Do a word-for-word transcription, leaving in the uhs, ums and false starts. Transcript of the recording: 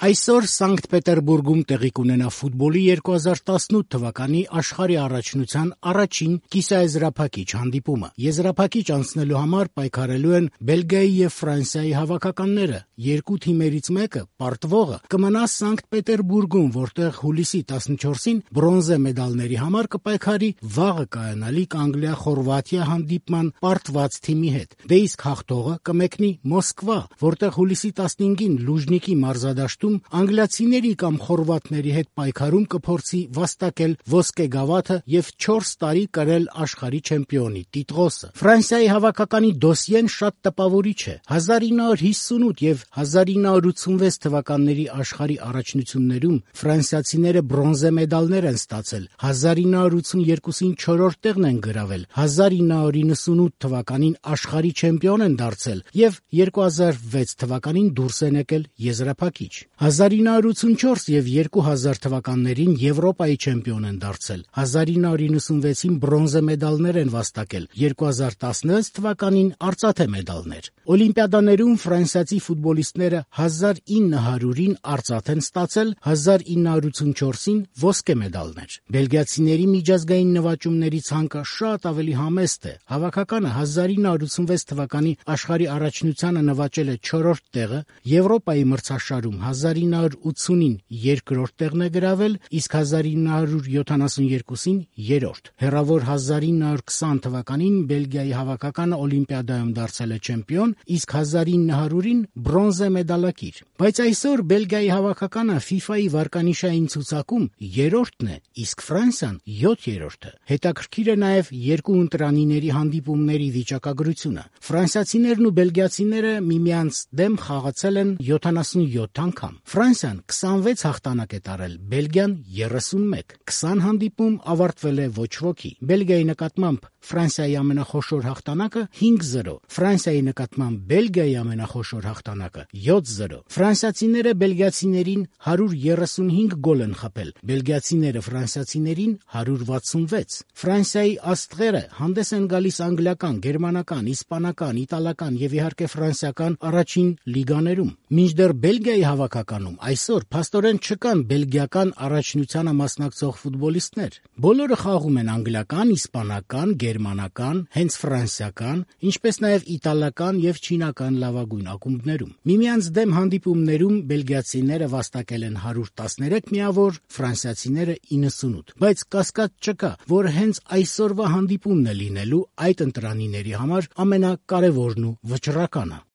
Այսօր Սանկտ Պետերբուրգում տեղի կունենա ֆուտբոլի երկու հազար տասնութ թվականի աշխարհի առաջնության առաջին կիսաեզրափակիչ հանդիպումը։ Եզրափակիչ անցնելու համար պայքարելու են Բելգիայի եւ Ֆրանսիայի հավաքականները։ Երկու թիմերից մեկը, պարտվողը, կմնա Սանկտ Պետերբուրգում, որտեղ հուլիսի տասնչորսին բրոնզե մեդալների համար կպայքարի վաղը կայանալիք Անգլիա-Խորվաթիա հանդիպման պարտված թիմի հետ։ Դե իսկ հաղթողը կմեկնի Մոսկվա, որտեղ հուլիսի տասնհինգին Լուժնիկի մարզադաշտում անգլիացիների կամ խորվաթների հետ պայքարում կփորձի վաստակել ոսկե գավաթը եւ չորս տարի կրել աշխարհի չեմպիոնի տիտղոսը։ Ֆրանսիայի հավաքականի դոսիեն շատ տպավորիչ է։ հազար ինը հարյուր հիսունութ եւ հազար ինը հարյուր ութսունվեց թվականների աշխարհի առաջնություններում ֆրանսիացիները բրոնզե մեդալներ են ստացել, հազար ինը հարյուր ութսուներկուսին չորրորդ տեղն են գրավել, հազար ինը հարյուր իննսունութ թվականին աշխարհի չեմպիոն են դարձել եւ երկու հազար վեց թվականին դուրս են եկել եզրափակիչ։ հազար ինը հարյուր ութսունչորս եւ երկու հազար թվականներին Եվրոպայի չեմպիոն են դարձել, հազար ինը հարյուր իննսունվեցին բրոնզե մեդալներ են վաստակել, երկու հազար տասնվեց թվականին արծաթե մեդալներ։ Օլիմպիադաներում ֆրանսիացի ֆուտբոլիստները հազար ինը հարյուրին արծաթ են ստացել, հազար ինը հարյուր ութսունչորսին ոսկե մեդալներ։ Բելգիացիների միջազգային նվաճումների ցանկը շատ ավելի համեստ է։ Հավաքականը հազար ինը հարյուր ութսունվեց թվականի աշխարհի առաջնությանը նվաճել է չորրորդ տեղը, Եվրոպայի մրցաշարում հազար ինը հարյուր ութսունին երկրորդ տեղն է գրավել, իսկ հազար ինը հարյուր յոթանասունյերկուսին երրորդ։ Հեռավոր հազար ինը հարյուր քսան թվականին Բելգիայի հավաքականը Օլիմպիադայում դարձել է չեմպիոն, իսկ հազար ինը հարյուրին բրոնզե մեդալակիր։ Բայց այսօր Բելգիայի հավաքականը ֆիֆայի վարկանիշային ցուցակում երրորդն է, իսկ Ֆրանսիան յոթերորդը։ Հետաքրքիր է նաև երկու ընտրանիների հանդիպումների վիճակագրությունը։ Ֆրանսիացիներն ու բելգիացիները միմյանց դեմ խաղացել են յոթանասունյոթ անգամ։ Ֆրանսիան քսանվեց հաղթանակ է տարել, Բելգիան երեսունմեկ։ քսան հանդիպում ավարտվել է ոչ ոքի։ Բելգիայի նկատմամբ Ֆրանսիայի ամենախոշոր հաղթանակը հինգ զրո, Ֆրանսիայի նկատմամբ Բելգիայի ամենախոշոր հաղթանակը յոթ զրո։ Ֆրանսիացիները բելգիացիներին հարյուր երեսունհինգ գոլ են խփել, բելգիացիները ֆրանսիացիներին հարյուր վաթսունվեց։ Ֆրանսիայի աստղերը հանդես են գալիս անգլիական, գերմանական, իսպանական, իտալական եւ իհարկե ֆրանսիական առաջին լիգաներում։ Մինչդեռ Բելգիայի հավաքականում այսօր փաստորեն չկան բելգիական առաջնությանը մասնակցող ֆուտբոլիստներ։ Բոլորը խաղում են անգլիական, իսպանական, գերմանական, հենց ֆրանսիական, ինչպես նաև իտալական եւ չինական լավագույն ակումբներում։ Միմյանց դեմ հանդիպումներում բելգիացիները վաստակել են հարյուր տասներեք միավոր, ֆրանսիացիները իննսունութ։ Բայց կասկած չկա, որ հենց այսօրվա հանդիպումն է լինելու այդ ընտրանիների համար ամենակարևորն ու վճռականը։